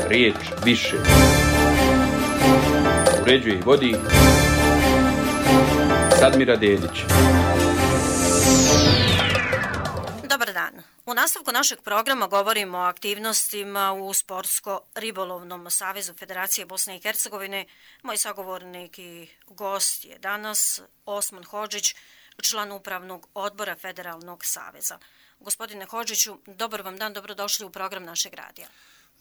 riječ više. Uređuje i vodi Sadmira Dedić. Dobar dan. U nastavku našeg programa govorimo o aktivnostima u Sportsko-ribolovnom savezu Federacije Bosne i Hercegovine. Moj sagovornik i gost je danas Osman Hodžić, član upravnog odbora Federalnog saveza. Gospodine Hodžiću, dobar vam dan, dobrodošli u program našeg radija.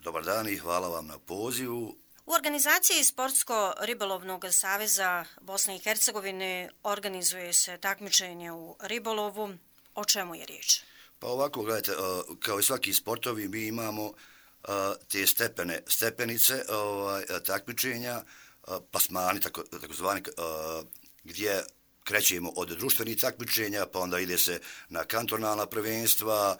Dobar dan i hvala vam na pozivu. U organizaciji Sportsko-ribolovnog saveza Bosne i Hercegovine organizuje se takmičenje u ribolovu. O čemu je riječ? Pa ovako, gledajte, kao i svaki sportovi mi imamo te stepenice takmičenja, plasmani takozvani, gdje krećemo od društvenih takmičenja, pa onda ide se na kantonalna prvenstva,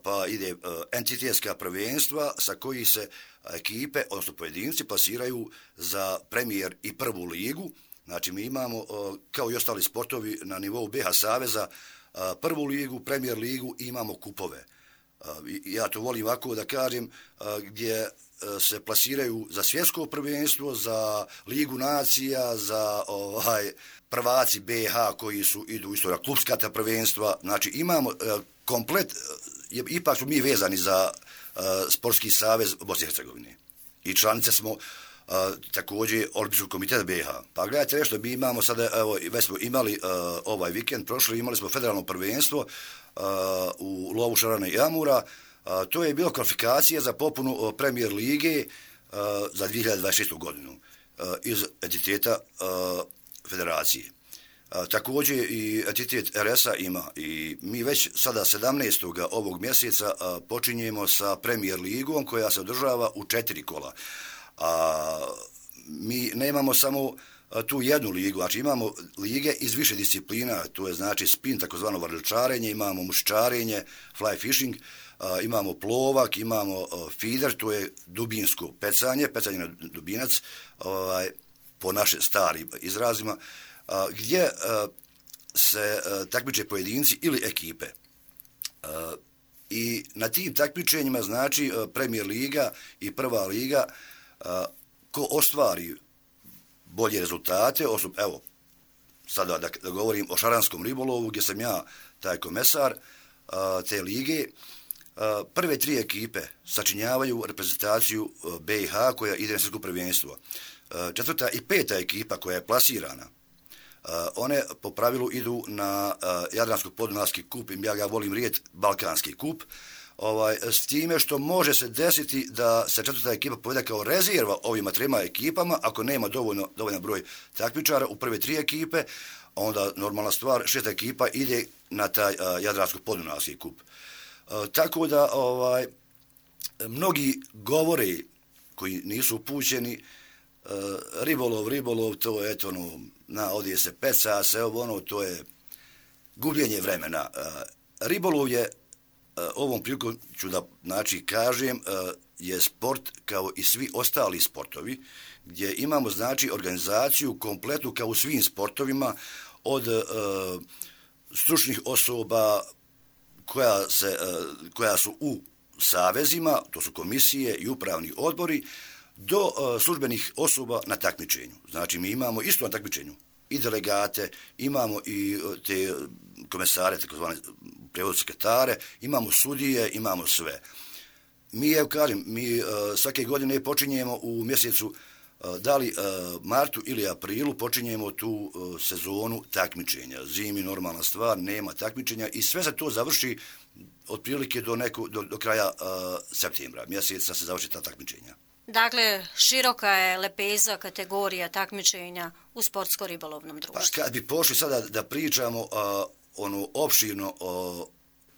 pa ide entitetska prvenstva sa koji se ekipe, odnosno pojedinci, plasiraju za premijer i prvu ligu. Znači mi imamo, kao i ostali sportovi na nivou BH Saveza, prvu ligu, premijer ligu i imamo kupove. Ja to volim ovako da kažem, gdje se plasiraju za svjetsko prvenstvo, za ligu nacija, za prvaci BH koji idu isto na klubska prvenstva. Znači imamo komplet, ipak smo mi vezani za Sportski savez Bosne i Hercegovine. I članice smo također Olimpijskog komiteta BH. Pa gledajte nešto, mi imamo sada, evo, već smo imali ovaj vikend, prošli imali smo federalno prvenstvo u lovu šarana i amura. To je bilo kvalifikacija za popunu premijer lige za 2026. godinu iz entiteta federacije. Također i entitet RS-a ima i mi već sada 17. ovog mjeseca počinjemo sa premijer ligom koja se održava u 4 kola. Mi nemamo samo tu jednu ligu, znači imamo lige iz više disciplina, to je znači spin, takozvano varličarenje, imamo muščarenje, fly fishing, imamo plovak, imamo feeder, to je dubinsko pecanje na dubinac, po našim starim izrazima, gdje se takmiče pojedinci ili ekipe. I na tim takmičenjima, znači premijer liga i prva liga, ko ostvari bolje rezultate, evo, sada da govorim o šaranskom ribolovu, gdje sam ja taj komesar te lige, prve 3 ekipe sačinjavaju reprezentaciju BiH koja ide na svjetsko prvenstvo. 4. i 5. ekipa koja je plasirana, one po pravilu idu na Jadransko-podunavski kup, ja ga volim riječ Balkanski kup, s time što može se desiti da se 4. ekipa povede kao rezerva ovima 3 ekipama, ako nema dovoljan broj takmičara u prve 3 ekipe, onda normalna stvar, 6. ekipa ide na taj Jadransko-podunavski kup. Tako da mnogi govore koji nisu upućeni, ribolov, to je odje se peca, se to je gubljenje vremena. Ribolov je, ovom prilikom ću da kažem, je sport kao i svi ostali sportovi, gdje imamo znači organizaciju kompletnu kao u svim sportovima, od stručnih osoba koja su u savezima, to su komisije i upravni odbori, do službenih osoba na takmičenju. Znači mi imamo isto na takmičenju i delegate, imamo i te komesare, takozvane prevodne sekretare, imamo sudije, imamo sve. Mi svake godine počinjemo u mjesecu, da li martu ili aprilu, počinjemo tu sezonu takmičenja. Zimi normalna stvar, nema takmičenja i sve se to završi otprilike do kraja septembra. Mjeseca se završi ta takmičenja. Dakle, široka je lepeza kategorija takmičenja u sportsko-ribolovnom društvu. Pa kad bi pošli sada da pričamo opširno o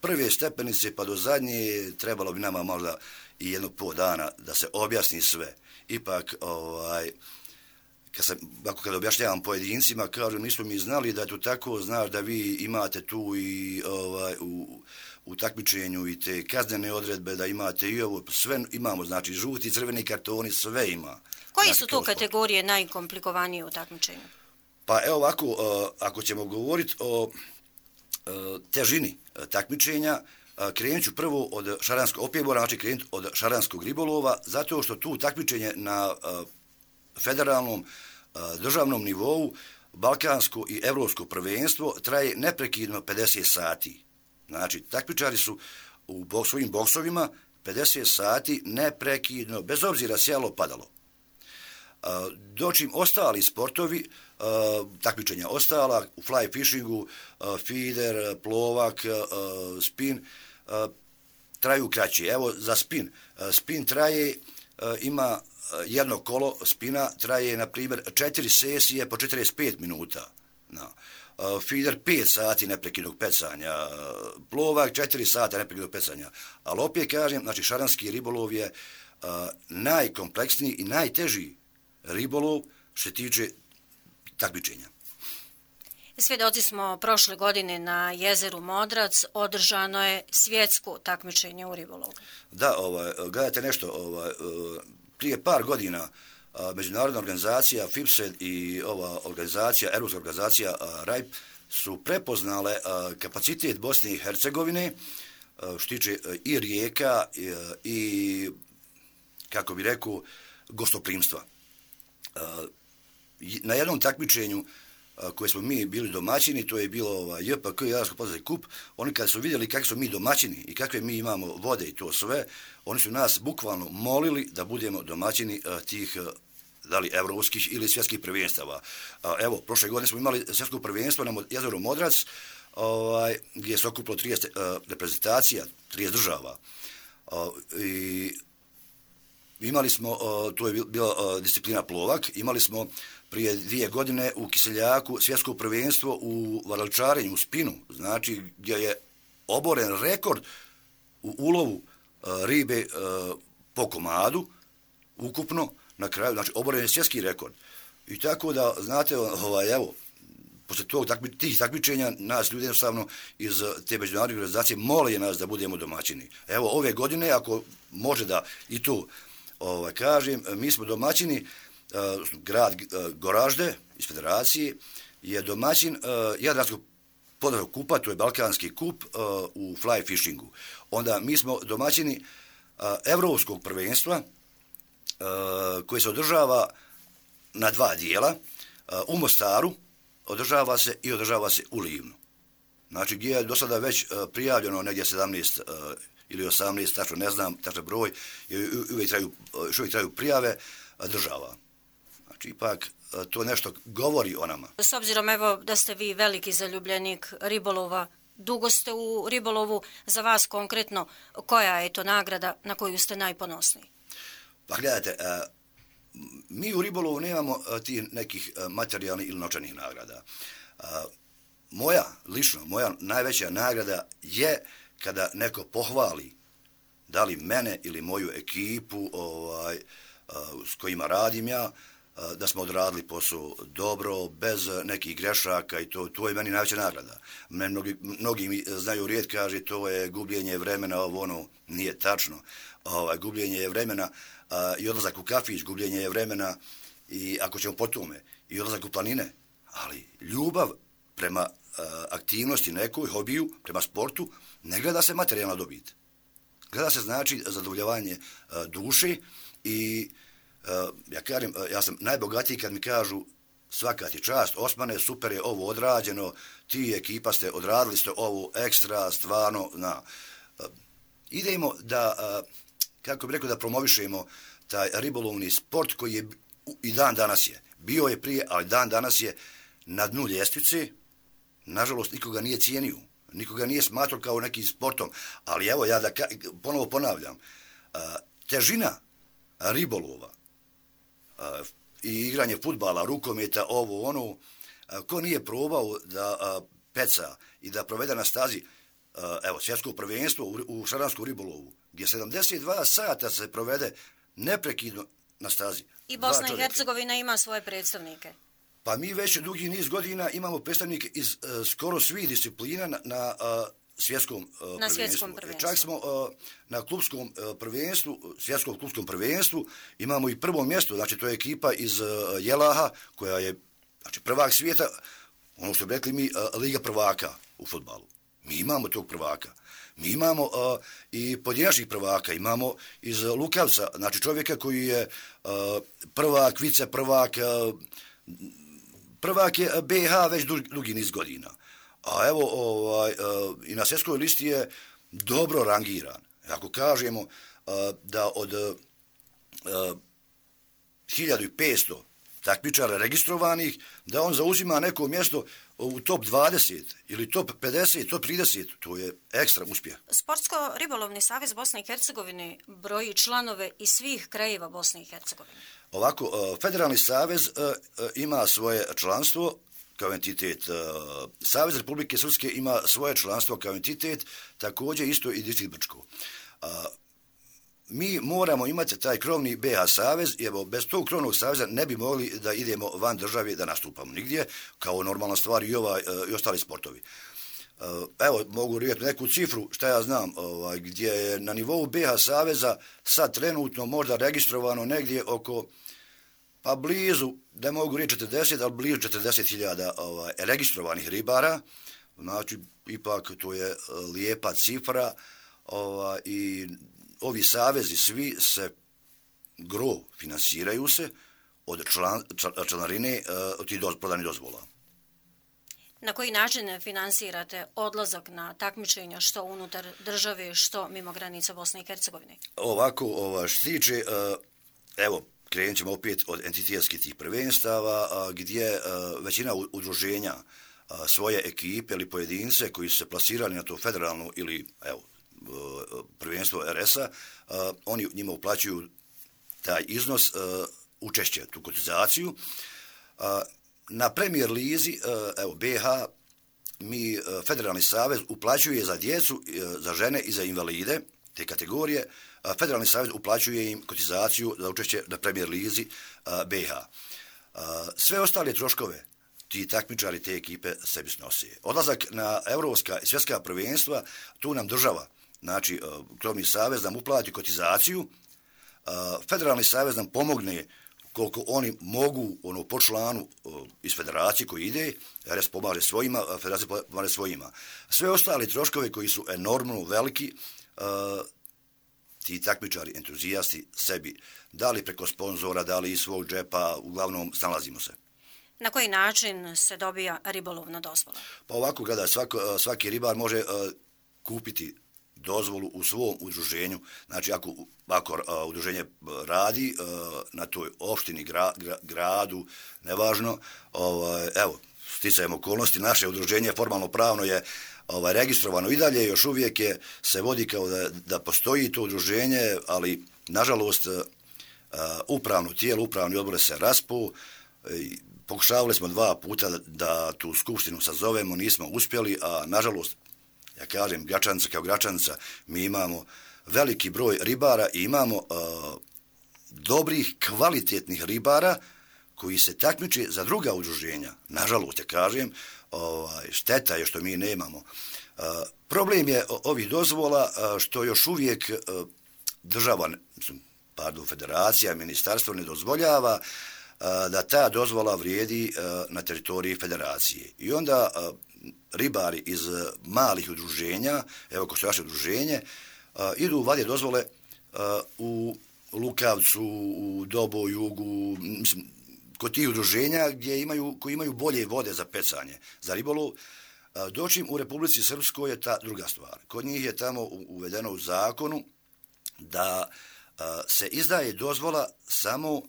prve stepenice pa do zadnje, trebalo bi nama možda i 1,5 dana da se objasni sve. Ipak, kad objašnjavam pojedincima, kažu, nismo mi znali da je to tako, znaš da vi imate tu i u takmičenju i te kaznene odredbe, da imate i ovo, sve imamo, znači žuti, crveni kartoni, sve ima. Koji su to kategorije najkomplikovanije u takmičenju? Pa evo ovako, ako ćemo govoriti o težini takmičenja, krenut ću prvo od šaranskog opjebora, znači krenut od šaranskog ribolova, zato što tu takmičenje na federalnom državnom nivou, balkansko i evropsko prvenstvo traje neprekidno 50 sati. Znači, takmičari su u svojim boksovima 50 sati neprekidno, bez obzira sjalo padalo. Dočim ostali sportovi, takmičenja ostala, u fly fishingu, feeder, plovak, spin, traju kraće. Evo za spin. Spin traje, ima jedno kolo spina, traje, na primjer, 4 sesije po 45 minuta. No. Feeder 5 sati neprekidnog pecanja, plovak 4 sata neprekidnog pecanja. Ali opet kažem, znači šaranski ribolov je najkompleksniji i najteži ribolov što se tiče takmičenja. Svjedoci smo prošle godine na jezeru Modrac održano je svjetsko takmičenje u ribolovu. Da, gledajte nešto, prije par godina međunarodna organizacija FIPSED i ova organizacija, europska organizacija RAIP su prepoznale kapacitet Bosne i Hercegovine što tiče i rijeka i kako bi rekao, gostoprimstva. Na jednom takmičenju koje smo mi bili domaćini, to je bilo JPK, Jadransko podvodni kup, oni kad su vidjeli kakvi smo mi domaćini i kakve mi imamo vode i to sve, oni su nas bukvalno molili da budemo domaćini tih da li evropskih ili svjetskih prvenstava. Evo, prošle godine smo imali svjetsko prvenstvo na jezeru Modrac, gdje se okupilo 30 reprezentacija, 30 država. I imali smo, to je bila disciplina plovak, imali smo prije 2 godine u Kiseljaku svjetsko prvenstvo u varaličarenju, u spinu, znači gdje je oboren rekord u ulovu ribe po komadu, ukupno, na kraju, znači oboren je svjetski rekord. I tako da, znate, evo, posle tih takmičenja nas ljudi jednostavno iz te međunarodne organizacije mole nas da budemo domaćini. Evo, ove godine, ako može da i tu kažem, mi smo domaćini, grad Goražde iz federacije je domaćin Jadranskog podvodnog kupa, to je balkanski kup u fly fishingu. Onda mi smo domaćini evropskog prvenstva koji se održava na 2 dijela. U Mostaru održava se u Livnu. Znači gdje je do sada već prijavljeno negdje 17 ili 18, tačno ne znam, tačan broj, uvijek traju prijave država. Znači, ipak to nešto govori o nama. S obzirom, evo, da ste vi veliki zaljubljenik ribolova, dugo ste u ribolovu, za vas konkretno, koja je to nagrada na koju ste najponosniji? Pa gledajte, mi u ribolovu nemamo tih nekih materijalnih ili novčanih nagrada. Moja najveća nagrada je kada neko pohvali, da li mene ili moju ekipu s kojima radim ja, da smo odradili posao dobro, bez nekih grešaka i to je meni najveća nagrada. Mnogi mi znaju riječ, kaže to je gubljenje vremena, ono nije tačno. Gubljenje je vremena i odlazak u kafić, gubljenje je vremena i ako ćemo po tome, i odlazak u planine, ali ljubav prema aktivnosti nekoj, hobiju, prema sportu, ne gleda se materijalna dobit. Gleda se znači zadovoljavanje duše i ja kažem, ja sam najbogatiji kad mi kažu svaka ti čast, Osmane, super je ovo odrađeno, ti ekipa ste odradili ste ovo ekstra, stvarno, idemo da, kako bih rekao, da promovišemo taj ribolovni sport koji je i dan danas je. Bio je prije, ali dan danas je na dnu ljestvice, nažalost nikoga nije cijenio, nikoga nije smatrao kao nekim sportom, ali evo ja da ponovo ponavljam, težina ribolova i igranje fudbala, rukometa, ovo, ono, ko nije probao da peca i da provede na stazi, evo, svjetsko prvenstvo u šaranskom ribolovu, gdje 72 sata se provede neprekidno na stazi. I Bosna i Hercegovina ima svoje predstavnike. Pa mi već dugi niz godina imamo predstavnike iz skoro svih disciplina na svjetskom prvenstvu. Čak smo na klubskom prvenstvu, svjetskom klubskom prvenstvu, imamo i prvo mjesto, znači to je ekipa iz Jelaha, koja je znači, prvak svijeta, ono što bi rekli mi, Liga prvaka u fudbalu. Mi imamo tog prvaka. Mi imamo i pojedinačnih prvaka, imamo iz Lukavca, znači čovjeka koji je prvak, viceprvak, prvak je BiH već dugi niz godina. A evo i na svjetskoj listi je dobro rangiran. Ako kažemo da od 1500 takmičara registrovanih, da on zauzima neko mjesto u top 20 ili top 50, top 30, to je ekstra uspjeh. Sportsko-ribolovni savez Bosne i Hercegovine broji članove iz svih krajeva Bosne i Hercegovine. Ovako, federalni savez ima svoje članstvo kao entitet. Savez Republike Srpske ima svoje članstvo kao entitet, također isto i distrikt Brčko. Mi moramo imati taj krovni BiH savez, jer bez tog krovnog saveza ne bi mogli da idemo van države da nastupamo nigdje, kao normalna stvar i ostali sportovi. Evo, mogu reći neku cifru, šta ja znam, gdje je na nivou BiH saveza sad trenutno možda registrovano negdje oko, pa blizu, ne mogu reći 40, ali blizu 40.000 registrovanih ribara, znači ipak to je lijepa cifra i ovi savezi svi se finansiraju se od članarine od tih prodanih dozvola. Na koji način finansirate odlazak na takmičenja što unutar države, što mimo granica Bosne i Hercegovine? Ovako, što se tiče, evo, krenut ćemo opet od entitetskih tih prvenstava, gdje većina udruženja svoje ekipe ili pojedince koji su se plasirali na to federalno ili, evo, prvenstvo RS-a, oni njima uplaćuju taj iznos učešće, tu kotizaciju. Na Premier lizi, evo, BiH, mi Federalni savez uplaćuje za djecu, za žene i za invalide, te kategorije, Federalni savez uplaćuje im kotizaciju za učešće na Premier lizi BiH. Sve ostale troškove ti takmičari, te ekipe sebi snose. Odlazak na evropska i svjetska prvenstva, tu nam država, znači krovni savez nam uplati kotizaciju, Federalni savez nam pomogne koliko oni mogu po članu iz federacije koji ide, RS pomaže svojima, federacija pomaže svojima. Sve ostali troškove koji su enormno veliki, ti takmičari, entuzijasti sebi, da li preko sponzora, da li iz svog džepa, uglavnom snalazimo se. Na koji način se dobija ribolovna dozvola? Pa ovako, gledaj, svaki ribar može kupiti dozvolu u svom udruženju. Znači, ako udruženje radi na toj opštini, gradu, nevažno, evo, sticajem okolnosti, naše udruženje formalno pravno je registrovano i dalje, još uvijek se vodi kao da postoji to udruženje, ali, nažalost, upravni odbor se raspuo. Pokušavali smo 2 puta da tu skupštinu sazovemo, nismo uspjeli, a nažalost, ja kažem, Gračanica kao Gračanica, mi imamo veliki broj ribara i imamo dobrih, kvalitetnih ribara koji se takmiče za druga udruženja. Nažalost, ja kažem, šteta je što mi nemamo. Problem je ovih dozvola što još uvijek država, federacija, ministarstvo ne dozvoljava da ta dozvola vrijedi na teritoriji federacije. I onda ribari iz malih udruženja, evo ko što vaše udruženje, idu vadje dozvole u Lukavcu, u Dobo, Jugu, mislim, kod tih udruženja koji imaju bolje vode za pecanje, za ribolov. Dočim u Republici Srpskoj je ta druga stvar. Kod njih je tamo uvedeno u zakonu da se izdaje dozvola samo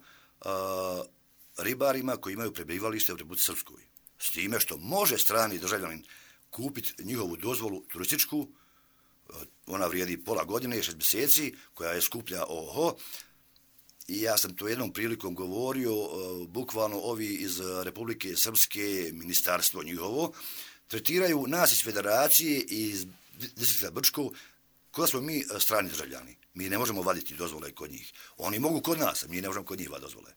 ribarima koji imaju prebivalište u Republici Srpskoj. S time što može strani državljanin kupiti njihovu dozvolu turističku, ona vrijedi pola godine, 6 mjeseci, koja je skuplja i ja sam to jednom prilikom govorio, bukvalno ovi iz Republike Srpske, ministarstvo njihovo, tretiraju nas iz federacije i iz distrikta Brčko, kada smo mi strani državljani. Mi ne možemo vaditi dozvole kod njih. Oni mogu kod nas, mi ne možemo kod njih vaditi dozvole.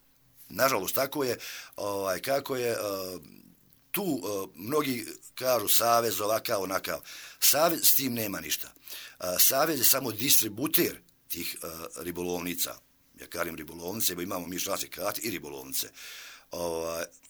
Nažalost, tako je, kako je, tu mnogi kažu savez ovakav, onakav. Savez s tim nema ništa. Savez je samo distributer tih ribolovnica. Ja kažem ribolovnice, imamo mi članske karte i ribolovnice.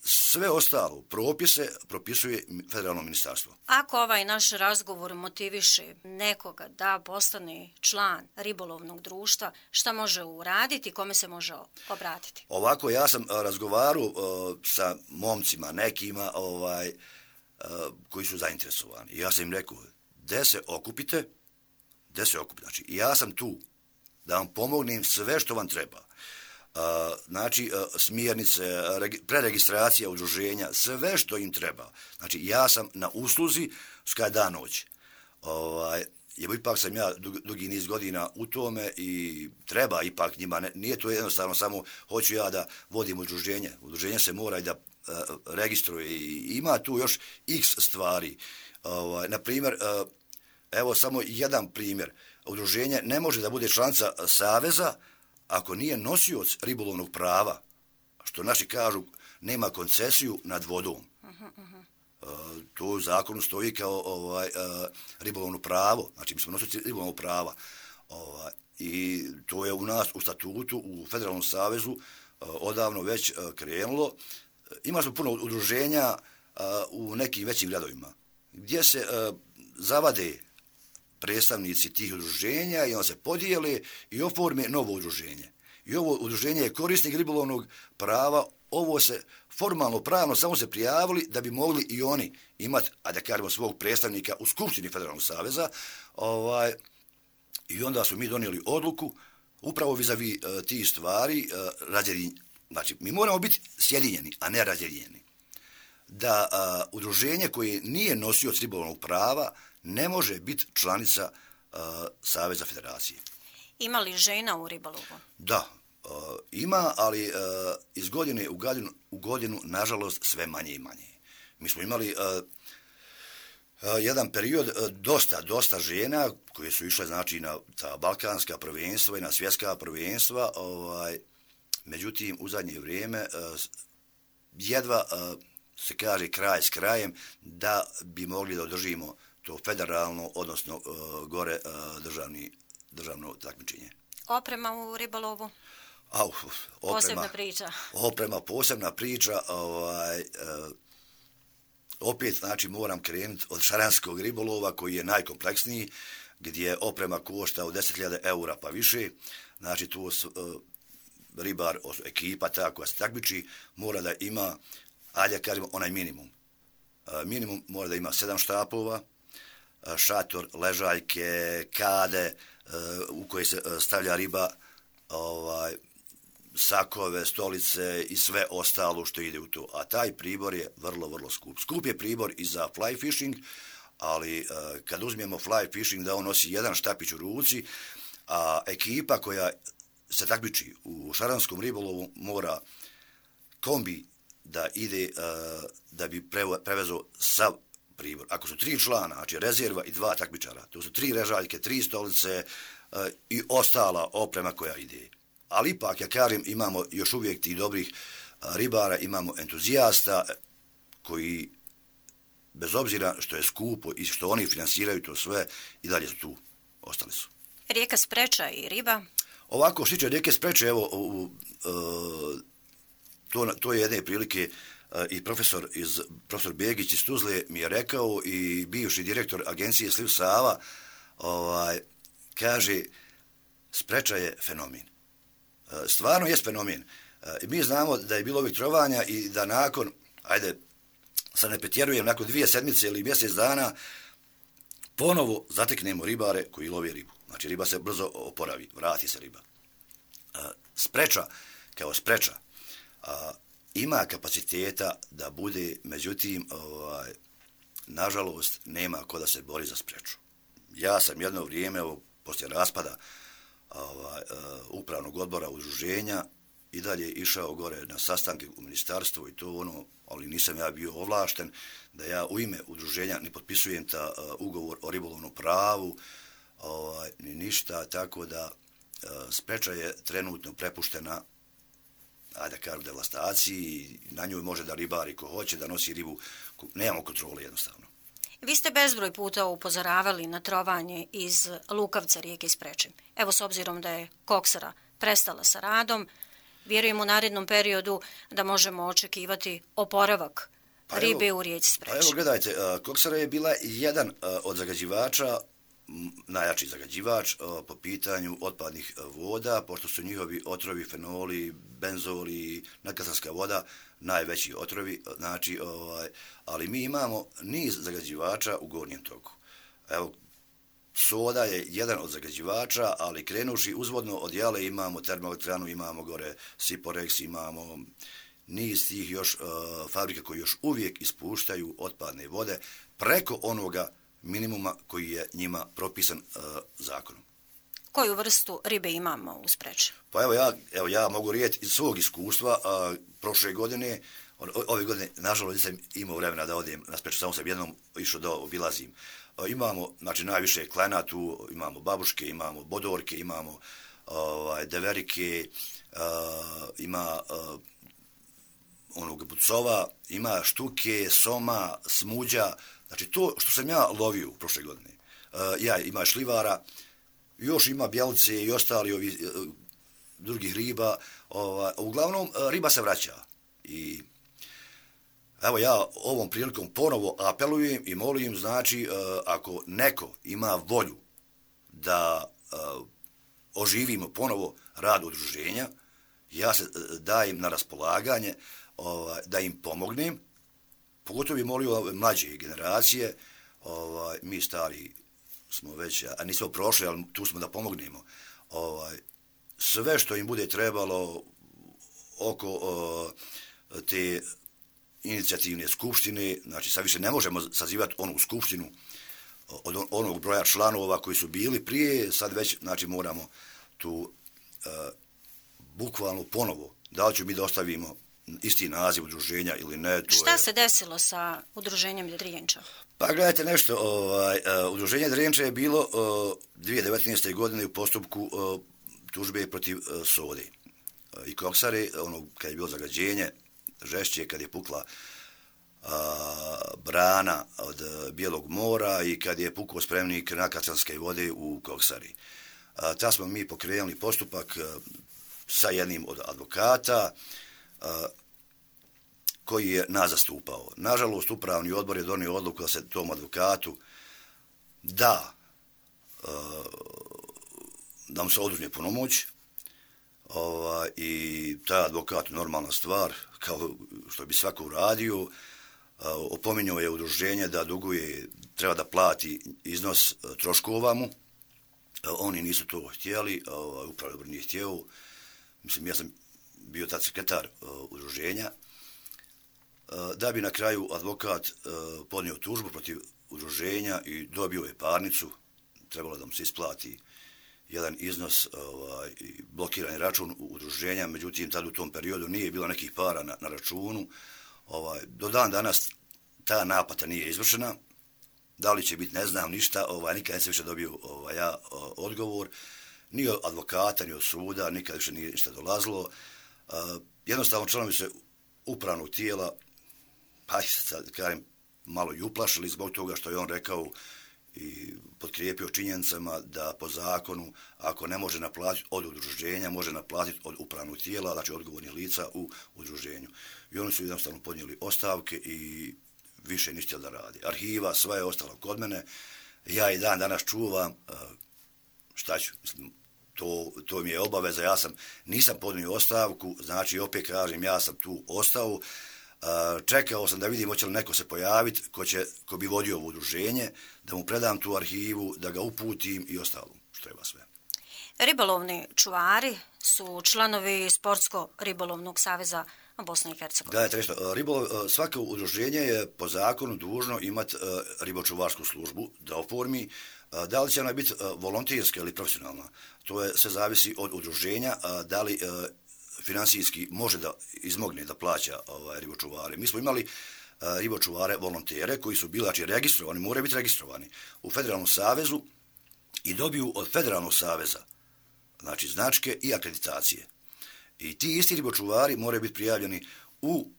Sve ostalo propise propisuje federalno ministarstvo. Ako ovaj naš razgovor motiviše nekoga da postane član ribolovnog društva, šta može uraditi, kome se može obratiti? Ovako, ja sam razgovarao sa momcima, nekima koji su zainteresovani. Ja sam im rekao, gde se okupite, znači ja sam tu da vam pomognem sve što vam treba. Znači, smjernice, preregistracija udruženja, sve što im treba. Znači, ja sam na usluzi skada dan noć. Ipak sam ja dugi niz godina u tome i treba ipak njima, nije to jednostavno samo hoću ja da vodim udruženje. Udruženje se mora i da registruje i ima tu još x stvari. Na primjer, evo samo jedan primjer. Udruženje ne može da bude članica saveza ako nije nosioc ribolovnog prava, što naši kažu nema koncesiju nad vodom. To u zakonu stoji kao ribolovno pravo, znači mi smo nosioci ribolovnog prava. I to je u nas u statutu, u Federalnom savezu odavno već krenulo. Ima smo puno udruženja u nekim većim gradovima, gdje se zavade predstavnici tih udruženja i on se podijele i oforme novo udruženje. I ovo udruženje je korisnik ribolovnog prava, ovo se formalno, pravno samo se prijavili da bi mogli i oni imati, a da kažemo, svog predstavnika u Skupštini Federalnog saveza. I onda smo mi donijeli odluku upravo vis-a-vis tih stvari, znači mi moramo biti sjedinjeni, a ne razjedinjeni. Da udruženje koje nije nosioc ribolovnog prava ne može biti članica Saveza federacije. Ima li žena u ribolovu? Da, ima, ali iz godine u godinu, nažalost, sve manje i manje. Mi smo imali jedan period dosta žena koje su išle, znači, na ta balkanska prvenstva i na svjetska prvenstva. Međutim, u zadnje vrijeme jedva se kaže kraj s krajem da bi mogli da održimo to federalno, odnosno gore državno takmičenje. Oprema u ribolovu? Posebna priča. Oprema, posebna priča. Opet, znači, moram krenuti od šaranskog ribolova koji je najkompleksniji, gdje oprema košta od 10.000 eura pa više. Znači, tu ribar, ekipa ta koja se takmiči, mora da ima, ajde kažemo, onaj minimum. Minimum mora da ima 7 štapova, šator, ležaljke, kade u koje se stavlja riba, sakove, stolice i sve ostalo što ide u to. A taj pribor je vrlo, vrlo skup. Skup je pribor i za fly fishing, ali kad uzmemo fly fishing da on nosi jedan štapić u ruci, a ekipa koja se takmiči u šaranskom ribolovu mora kombi da ide da bi prevezao sav pribor. Ako su 3 člana, znači rezerva i 2 takmičara, to su 3 režaljke, 3 stolice i ostala oprema koja ide. Ali ipak, ja kažem, imamo još uvijek tih dobrih ribara, imamo entuzijasta koji, bez obzira što je skupo i što oni finansiraju to sve, i dalje su tu, ostali su. Rijeka Spreča i riba? Ovako, što tiče rijeke Spreče, evo, to je jedne prilike i profesor Begić iz Tuzle mi je rekao i bivši direktor agencije Sliv Sava, kaže, Spreča je fenomen. Stvarno je fenomen. Mi znamo da je bilo ovih trovanja i da nakon, ajde, sad ne pretjerujem, nakon 2 sedmice ili mjesec dana, ponovo zateknemo ribare koji love ribu. Znači, riba se brzo oporavi, vrati se riba. Spreča, kao Spreča, ima kapaciteta da bude, međutim, nažalost, nema ko da se bori za Spreču. Ja sam jedno vrijeme, poslije raspada upravnog odbora udruženja, i dalje išao gore na sastanke u ministarstvu i to ali nisam ja bio ovlašten da ja u ime udruženja ne potpisujem ta ugovor o ribolovnom pravu, ni ništa, tako da Spreča je trenutno prepuštena, ajde da kažem, devastaciji i na njoj može da ribari ko hoće, da nosi ribu, nemamo kontrole jednostavno. Vi ste bezbroj puta upozoravali na trovanje iz Lukavca rijeke Spreče. Evo, s obzirom da je Koksara prestala sa radom, vjerujem u narednom periodu da možemo očekivati oporavak ribe u rijeci Spreči. Pa evo gledajte, koksara je bila jedan od zagađivača, najjači zagađivač po pitanju otpadnih voda, pošto su njihovi otrovi, fenoli, benzoli, nadkatarska voda najveći otrovi, znači, ali mi imamo niz zagađivača u gornjem toku. Evo, soda je jedan od zagađivača, ali krenuši uzvodno od Jale imamo termoelektranu, imamo gore Siporex, imamo niz tih još fabrika koji još uvijek ispuštaju otpadne vode preko onoga minimuma koji je njima propisan zakonom. Koju vrstu ribe imamo u Spreči? Pa evo ja mogu rijeti iz svog iskustva. Prošle godine, ove godine, nažalost, nisam imao vremena da odem na Spreču, samo sam jednom išao da obilazim. Imamo, znači, najviše klena tu, imamo babuške, imamo bodorke, imamo deverike, ima onog bucova, ima štuke, soma, smuđa. Znači, to što sam ja lovio prošle godine, ima šlivara, još ima bjelice i ostali ovi drugih riba. Uglavnom, riba se vraća. I evo ja ovom prilikom ponovo apelujem i molim, znači, ako neko ima volju da oživimo ponovo rad udruženja, ja se dajem na raspolaganje da im pomognem. Pogotovo bi molio mlađe generacije, mi stari smo već, a nismo prošli, ali tu smo da pomognemo. Sve što im bude trebalo oko te inicijativne skupštine, znači sad više ne možemo sazivati onu skupštinu od onog broja članova koji su bili prije, sad već, znači, moramo tu bukvalno ponovo, da li ću mi da ostavimo isti naziv udruženja ili ne. Šta se desilo sa udruženjem Drenča? Pa gledajte nešto, udruženje Drenča je bilo 2019. godine u postupku tužbe protiv sode i koksare, kad je bilo zagađenje žešće, kad je pukla brana od Bijelog mora i kad je pukao spremnik nadkatarske vode u koksari. Ta smo mi pokrenuli postupak sa jednim od advokata koji je nas zastupao. Nažalost, upravni odbor je donio odluku da se tom advokatu da mu se oduzme punomoć i taj advokat, normalna stvar, kao što bi svako uradio, opominjao je udruženje da duguje, treba da plati iznos troškova mu. Oni nisu to htjeli, upravni odbor nije htjeo. Mislim, ja sam bio tad sekretar udruženja, da bi na kraju advokat podnio tužbu protiv udruženja i dobio je parnicu, trebalo da mu se isplati jedan iznos, blokirani račun udruženja, međutim, tad u tom periodu nije bilo nekih para na računu. Do dan danas ta naplata nije izvršena. Da li će biti, ne znam ništa, nikad nisam više dobio odgovor, ni od advokata, ni od suda, nikad više nije ništa dolazilo. Jednostavno članovi se upravnog tijela, pa sad kažem, malo i uplašili zbog toga što je on rekao i potkrijepio činjenicama da po zakonu, ako ne može naplatiti od udruženja, može naplatiti od upravnog tijela, znači odgovornih lica u udruženju. I oni su jednostavno podnijeli ostavke i više ništa da radi. Arhiva, sve je ostalo kod mene. Ja i dan danas čuvam, šta ću, to mi je obaveza, nisam podnio ostavku, znači opet kažem, ja sam tu ostao. Čekao sam da vidim hoće li neko se pojaviti ko bi vodio ovo udruženje, da mu predam tu arhivu, da ga uputim i ostalo što treba sve. Ribolovni čuvari su članovi Sportsko-ribolovnog saveza Bosne i Hercegovine. Da, svako udruženje je po zakonu dužno imati ribočuvarsku službu da oformi. Da li će ona biti volonterska ili profesionalna, to se zavisi od udruženja, da li finansijski može da izmogne da plaća ribočuvare. Mi smo imali ribočuvare volontere koji su bili, znači, registrovani, moraju biti registrovani u Federalnom savezu i dobiju od Federalnog saveza, znači, značke i akreditacije. I ti isti ribočuvari moraju biti prijavljeni u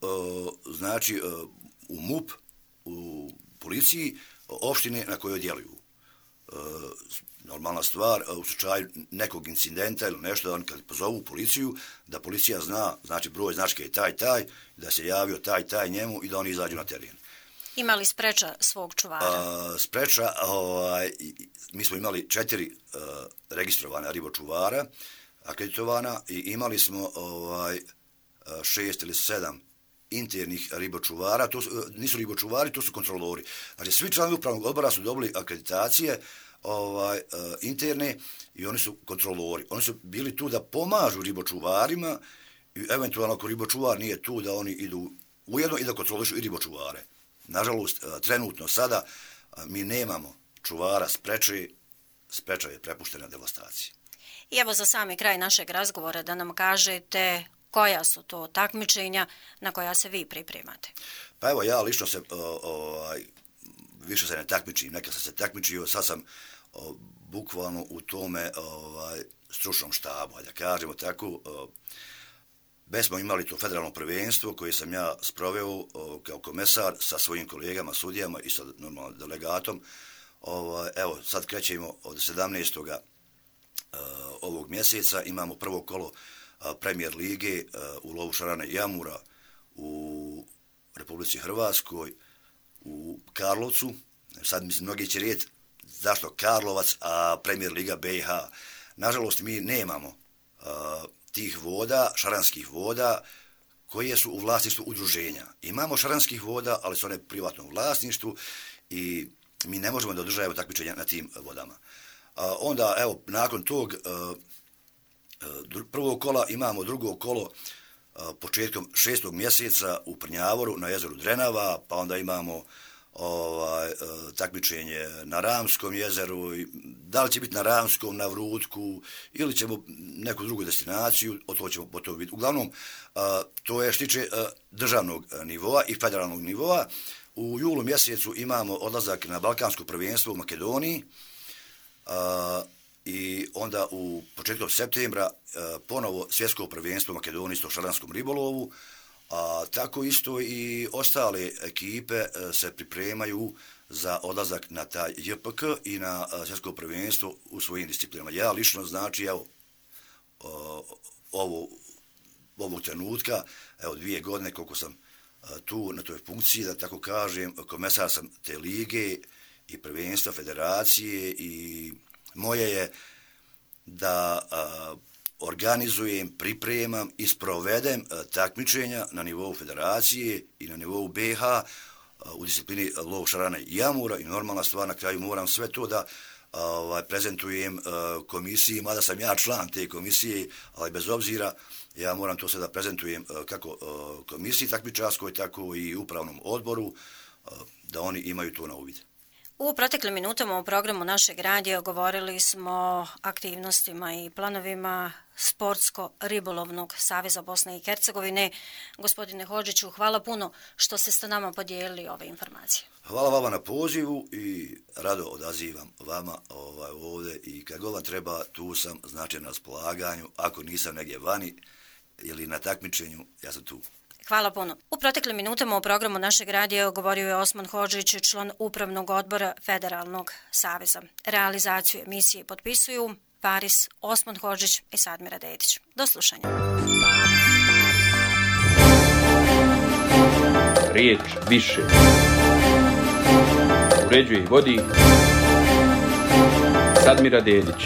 MUP, u policiji opštine na kojoj djeluju. normalna stvar, u slučaju nekog incidenta ili nešto, oni kad pozovu policiju, da policija zna, znači broj značke je taj, da se javio taj njemu i da oni izađu na teren. Ima li spreča svog čuvara? Spreča, mi smo imali 4 registrovana ribočuvara, akreditovana, i imali smo 6 ili 7 internih ribočuvara. To nisu ribočuvari, to su kontrolori. Znači, svi članovi upravnog odbora su dobili akreditacije interne i oni su kontrolori. Oni su bili tu da pomažu ribočuvarima i eventualno ako ribočuvar nije tu da oni idu ujedno i da kontrolišu i ribočuvare. Nažalost, trenutno sada mi nemamo čuvara spreča je prepuštena devastaciji. I evo za sami kraj našeg razgovora da nam kažete koja su to takmičenja na koja se vi pripremate. Pa evo, ja lično se više se ne takmičim, neka sam se takmičio, sad sam bukvalno u tome stručnom štabu, da kažemo tako. Već smo imali to federalno prvenstvo koje sam ja sproveo kao komesar sa svojim kolegama, sudijama i sa normalno delegatom. Evo, sad krećemo od 17. Ovog mjeseca, imamo prvo kolo Premier lige u lovu šarana i jamura u Republici Hrvatskoj, u Karlovcu. Sad mislim, mnogi će reći zašto Karlovac, a Premier liga BiH. Nažalost, mi nemamo tih voda, šaranskih voda, koje su u vlasništvu udruženja. Imamo šaranskih voda, ali su one u privatnom vlasništvu i mi ne možemo da održavamo takmičenja na tim vodama. Onda, evo, nakon tog prvog kola imamo drugo kolo početkom 6. mjeseca u Prnjavoru na jezeru Drenava, pa onda imamo takmičenje na Ramskom jezeru, da li će biti na Ramskom, na Vrutku ili ćemo neku drugu destinaciju, to ćemo potom vidjeti. Uglavnom, to je što tiče državnog nivoa i federalnog nivoa. U julu mjesecu imamo odlazak na Balkansko prvenstvo u Makedoniji i onda u početkom septembra ponovo svjetsko prvenstvo u Makedoniji isto šaranskom ribolovu. Tako isto i ostale ekipe se pripremaju za odlazak na taj JPK i na svjetsko prvenstvo u svojim disciplinama. Ja lično, znači, evo, ovog trenutka, evo 2 godine koliko sam tu na toj funkciji, da tako kažem, komesar sam te lige i prvenstva federacije i moje je da organizujem, pripremam i sprovedem takmičenja na nivou federacije i na nivou BiH u disciplini lov šarana i jamura i normalna stvar, na kraju moram sve to da prezentujem komisiji, mada sam ja član te komisije, ali bez obzira ja moram to sve da prezentujem kako komisiji takmičarskoj, tako i upravnom odboru, da oni imaju to na uvid. U proteklim minutama u programu našeg radija govorili smo o aktivnostima i planovima Sportsko-ribolovnog saveza Bosne i Hercegovine. Gospodine Hodžiću, hvala puno što ste s nama podijelili ove informacije. Hvala vama na pozivu i rado odazivam vama ovdje i kad god vam treba, tu sam, znači na raspolaganju. Ako nisam negdje vani ili na takmičenju, ja sam tu. Hvala puno. U proteklim minutama u programu našeg radija govorio je Osman Hodžić, član upravnog odbora Federalnog saveza. Realizaciju emisije potpisuju Paris, Osman Hodžić i Sadmira Dedić. Do slušanja. Riječ više. Uređuje i vodi Sadmira Dedić.